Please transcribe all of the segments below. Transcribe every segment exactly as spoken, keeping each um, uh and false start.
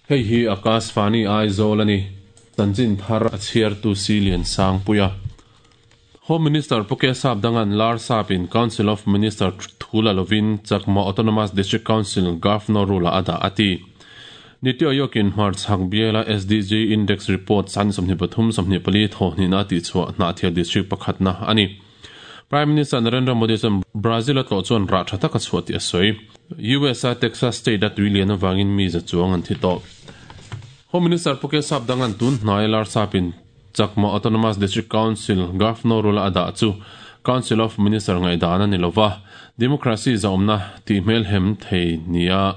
Hei hi Akashvani Aizawl ani. Chanchin thar a chhiartu Silian Sangpuia. Home Minister Puke Sapdangan Larsap in Council of Minister Thula Lovin Chakma Autonomous District Council Governor Rula ada ati. Niti Ayokin Hmar Chhak Biala S D G Index Report san sawmhnih pathum sawmhnih pali thawhnih na ti chhuah Hnahthial District pakhatna ani. Prime Minister Narendra Modi chuan Brazil a tlawh chuan rah tha taka chhuah tih a sawi. U S a Texas State a tuilian awangin mi za chuang an thi tawh. Home Minister Puke Sapdangan tun hnai Larsapin Chakma Autonomous District Council Governor Rula ada chu Council of Minister ngai dana ni lova Democracy zaumna ti hmel hem thei nia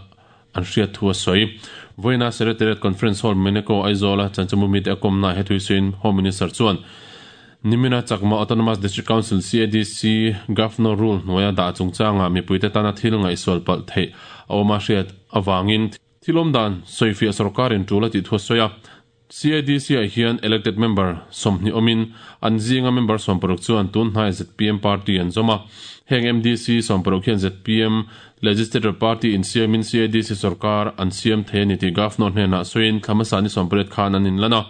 an hriat thu a sawi. Voina Secretariat Conference Hall Meneko Aizola chanchamu mi te akomna hetui suin Home Minister chuan Nimina Chakma Autonomous District Council C A D C Governor Rule hnuaia dah chungchanga mipuite tana thil ngaihsual palh theih a awm a hriat awangin thilawm dan sawifiah sarkarin tul a tih thu a sawi a. C A D C ah hian elected member sawmhnih awmin an zinga member sawmparuk chuan tun hnai Z P M party an zawm a. Heng M D C sawmparuk hian Z P M Legislative Party in siamin C A D C sarkar an siam thei ani tih Governor hnenah sawiin thlamasa ni sawmpariat khan an inlan a.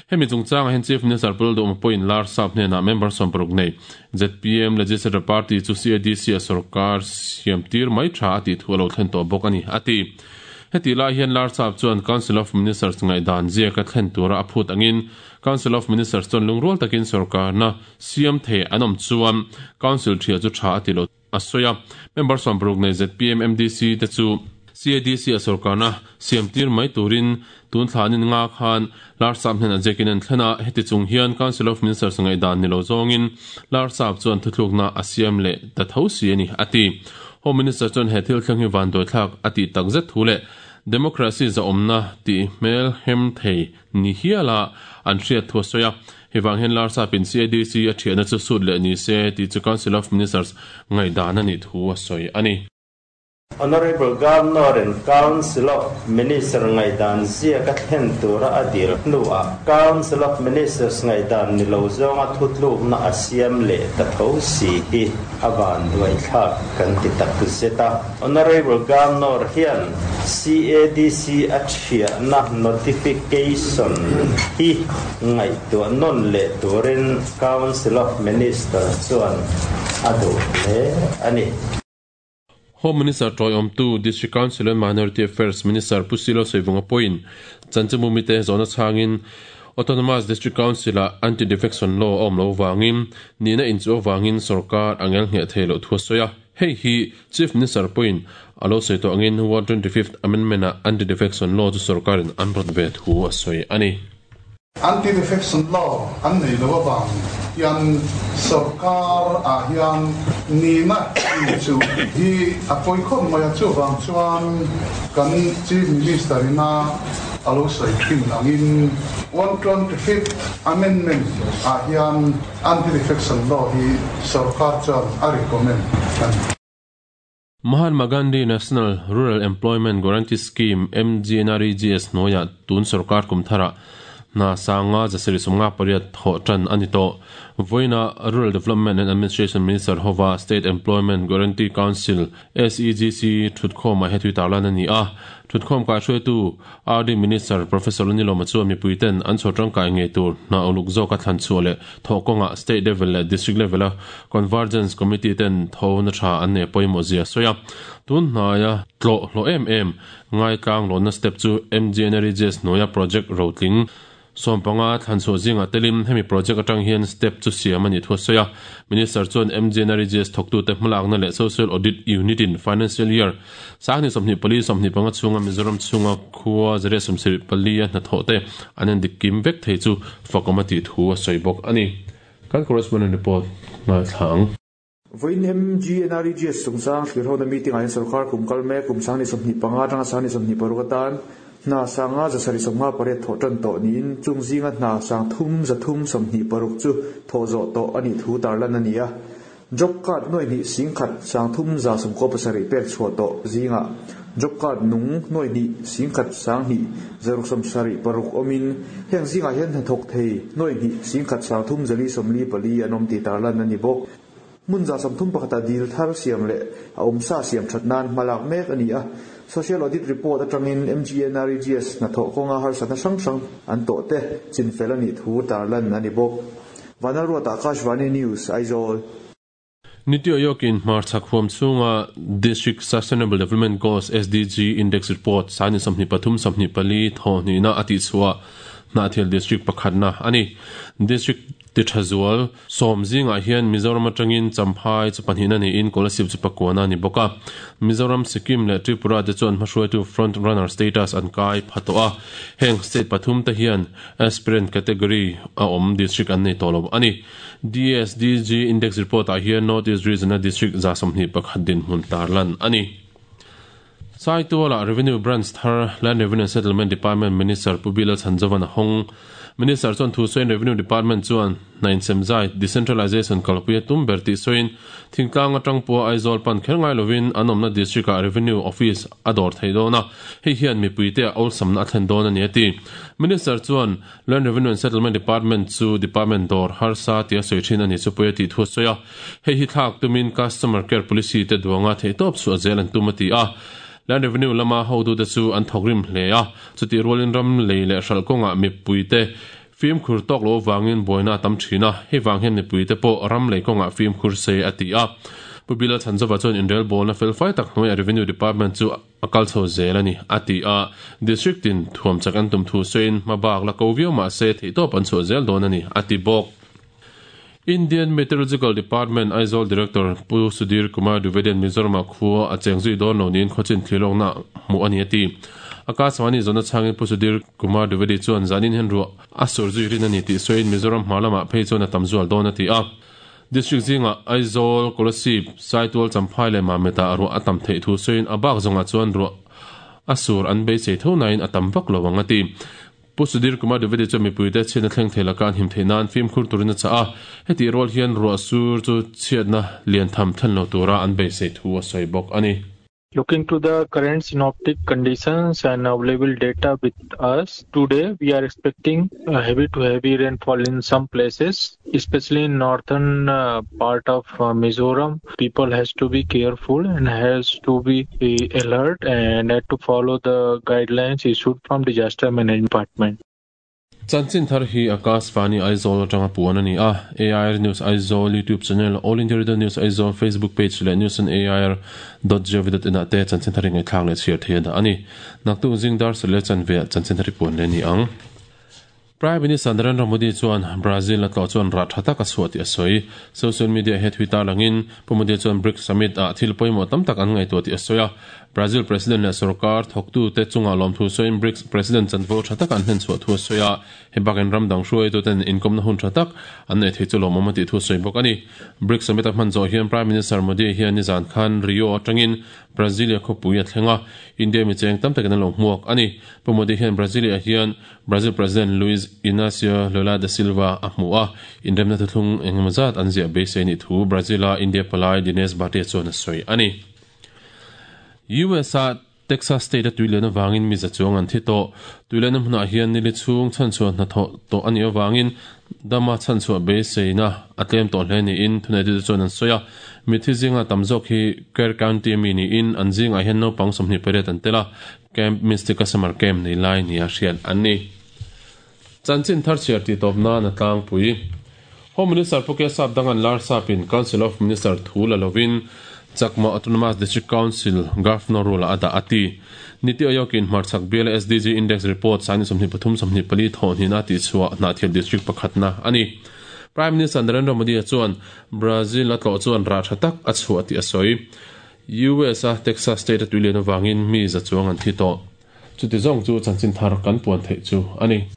Hemi chungchanga hian Chief Minister Pul Dawma pawhin Larsap hnenah member sawmparuk nei Z P M Legislative Party chu C A D C a sarkar siam tir mai tha a tih thu a lo thlen tawh bawk ani ati. Heti lai hian Larsap chuan Council of Ministers ngai dan zia ka thlen tura a phut angin Council of Ministers chuan lungrual takin sarkar na siam thei an awm chuan Council thia chu tha a ti lo a sawi a. Member sawmparuk nei Z P M M D C te chu C A D C a sarkar na siam tir mai turin tun thlanin nga khan Larsap hnen a jekin an thlena heti chung hian Council of Ministers ngai dan ni lo zawngin Larsap chuan thuthlukna a siam leh ta tho si ani ati. Home Minister chuan he thil thleng hi van doi thlak ati takzet thu leh Democracy zaumna ti hmel hem thei ni hiala an hriat thu a sawi a. Hewang hian Larsapin C A D C a thiahna chu sut leh ni se ti chu Council of Ministers ngai dan ani thu a sawi ani. Honorable Governor and Council of Ministers ngai dan zia ka thlen tura adil hnuah Council of Ministers ngai dan ni lo zawnga thutluk na a siam leh ta tho si hi awan duai thlak kan ti tak zeta. Honorable Governor hian C A D C a thiahna notification hi ngai tu non leh turin Council of Ministers chuan a duh hle ani. Home Minister Troy Omtu, District Council and Minority Affairs Minister Pusilo Soivunga Point, Chanchamu mite zona changin Autonomous District Council a anti-defection law awm lo wangin nina inchu wangin sarkar angel nge theilo thu soya. Hei hi Chief Minister Point alo sei to angin one twenty-fifth Amendment a anti-defection law chu sarkarin an rot ve thu a soi ani. Anti-defection law an nei lo wang hian sarkar a hian nina inchu hi a poi khom mai chu wang chuan kan Chief Minister ina alo sei thin angin one twenty-fifth Amendment a hian anti-defection law hi sarkar chuan a recommend an. Mahatma Gandhi National Rural Employment Guarantee Scheme M G N R E G S noya tun sarkar kumthara na sanga jasiri sumnga pariat tho tan ani to. Voina Rural Development and Administration Minister hova State Employment Guarantee Council S E G C thutkhom a hetui tarlan ani a. Thutkhom ka hruai tu R D Minister Professor Nilo Machu mi puiten an chhotang kai nge tur na uluk zo ka thlan chu le thokonga state level le district level a convergence committee ten tho na tha an ne poimo zia soya. Tun hnaya tlo hlo em em ngai tlang lo na step chu M G N R E G S noya project rotling sompanga thlanchu zinga telim hemi project atang hian step chu siam ani thu soya. Minister chuan M G N R E G S thoktu te hmalak na leh social audit unit in financial year sangni somni pali somni panga chunga Mizoram chunga khuwa zere somsiri pali a hna tho te anen dikim vek thei chu fakomati thu a soibok ani. Kan correspondent report ngai thlang. Voin M G N R E G S chungchang thlirhona meeting ah hian sarkar kum kal mek kum sangni sawmhnih panga atanga sangni sawmhnih paruk atan hna sanga zasari sawmnga pariat thawh tan tawh niin chung zinga hna sang thum zathum sawmhnih paruk chu thawh zawh tawh ani thu tarlan ani a. Job card noi hnih sing khat sang thum za sawmkaw pasarih pek chhuah tawh zinga job card nung noi hnih sing khat sang hnih zaruk sawmsarih paruk awmin heng zingah hian hnathawk thei noi hnih sing khat sang thum zali sawmli pali an awm tih tarlan ani bawk. Mun za samthum pakhata dil thar siam le a awmsa siam that nan hmalak mek ani a. Social Audit Report atangin M G N R E G S na tho konga har sana sang sang an to te chinfel ani thu tarlan ani bok. Vanalruata Akashvani News, Aizawl. Niti Aayog-in Hmarchhak huam chunga District Sustainable Development Goals S D G Index Report sani sawmhnih pathum sawmhnih pali thawhnihna a tih chhuah Hnahthial District pakhatna ani. District tithazual sawm zingah hian Mizoram atangin Champhai chu pahnihna niin Kolasib chu pakuana ani bawk a. Mizoram, Sikkim leh Tripura te chuan hmahruaitu front runner status an kai phato a. Heng state pathum te hian aspirant category a awm district an nei tawh lo ani. D S D G Index Report ah hian North East Region a district za sawmhnih pakhat din hmun tarlan ani. Saituala Revenue Branch Thar Land Revenue and Settlement Department Minister Pubila Chanjavan Hong Minister chuan thu sawiin Revenue Department chuan hnain semzai decentralization kalpuia tum ber tih sawiin thingtlang atang pawh Aizawl pan kher ngai lovin an awmna district ah Revenue Office a dawr thei dawn a, hei hian mipui te a awlsamna a thlen dawn ani a ti. Minister chuan Land Revenue and Settlement Department chu department dawr harsa tia sawi thin ani chu pawh a tih thu sawi a, hei hi thlak tumin customer care policy te duanga thei tawp chu a zel an tum a ti a. Land Revenue lama hotu te chu an thawk rim hle a, chuti rualin ram lei leh hral kawngah mipui te fim khur tawk lo wangin buaina tam thina, hei wang hian mipui te pawh ram lei kawngah fim khur se a ti a. Pubila Chanjova chuan inrel bawlna fel fai tak hnuaiah Revenue Department chu a kal chho zel ani a ti a. District in thuam chak an tum thu sawiin hmabak la ko viau mah se theihtawp an chhuah zel dawn ani a ti bawk. Indian Meteorological Department Aizawl Director Pu Sudhir Kumar Dwivedi Mizoram khua a chengzui dawn lo niin khawchin thlilawk na hmuh ani a ti. Akashvani zona changin Pu Sudhir Kumar Dwivedi chuan zanin hen ru a surzui rin ani tih sawiin Mizoram hma lamah phei chuan a tam zual dawn a ti a. District zinga Aizawl, Kolasib, Saitual, Champhai leh Mameta ru a tam theih thu sawiin a bak zawnga chuan ru a sur an beisei tho nain a tam vak lo ang a ti. Pu Sudhir Kumar Dwivedi chu mipui te chhiatna thleng thei laka an him theih nan fim khur turin a chah a, heti rual hian ruah sur chu chhiatna lian tham thlen lo tura an beisei thu a sawi bawk ani. Looking to the current synoptic conditions and available data with us, today we are expecting a heavy to heavy rainfall in some places, especially in northern uh, part of uh, Mizoram. People has to be careful and has to be uh, alert and had to follow the guidelines issued from Disaster Management Department. Chanchin thar hi Akashvani Aizawl atanga puan ani a. A I R News Aizawl YouTube channel, All India Radio News Aizawl Facebook page leh news on A I R dot gov dot in te chanchin thar ngai thlang leh chhiar thei da ani. Naktu zingdar sele chanve chanchin thar puan le ni ang. Prime Minister Narendra Modi chuan Brazil a tlo chuan ra thatak a suati a sawi. Social media he Twitter langin Pu Modi chuan BRICS Summit a thil pawimawh tam tak an ngai tu ti a sawi a. Brazil President leh sarkar thawktu te chunga lawm thu sawiin BRICS President chanvo thatak an hlen chhuah thu a sawi a. He bakin ram dang hruai tu ten inkomna hun thatak an nei thei chu lawmawm a tih thu sawi bawk ani. BRICS Summit a hman zawh hian Prime Minister Modi hian nizan khan Rio atangin Brasilia khawpui a thlenga India mi cheng tam takin an lo hmuak ani. Pu Modi hian Brasilia hian Brazil President Luiz Inácio Lula da Silva a hmu a, inremna thuthlung engemaw zat an ziah beisei ni thu Brazil-a India palai Dinesh Bhatia chuan a sawi ani. U S A Texas State a tuilena wangin mi za chuang an thi tawh. Tuilena hmunah hian nili chhung chhan chuan hna thawh tawh ani awangin dama chhan chhuah beiseina a tlem tawh hle niin thunei chuan an sawi a. Mithi zinga tam zawk hi Kerr County mi niin an zingah hian naupang sawmhnih pariat an tel a, Camp Mystica Summer Camp nei lai ni a hriat an ni. Chanchin thar chhiar ti tawp nan a tlangpui. Home Minister Puke Sap dangan lar sapin Council of Minister thu la lovin Chakma Autonomous District Council Governor role ada ati. Niti Aayog-in Hmarchhak Bial S D G Index Report sani sawmhnih pathum sawmhnih pali thawhnihna tih chhuah Hnahthial District pakhatna ani. Prime Minister Narendra Modi chuan Brazil a tlo chuan ra thatak a chhuah ti a sawi. U S a Texas State a tuilena wangin mi za chuang an thi tawh. Chuti zawng chu chanchin thar kan puan theih chu ani.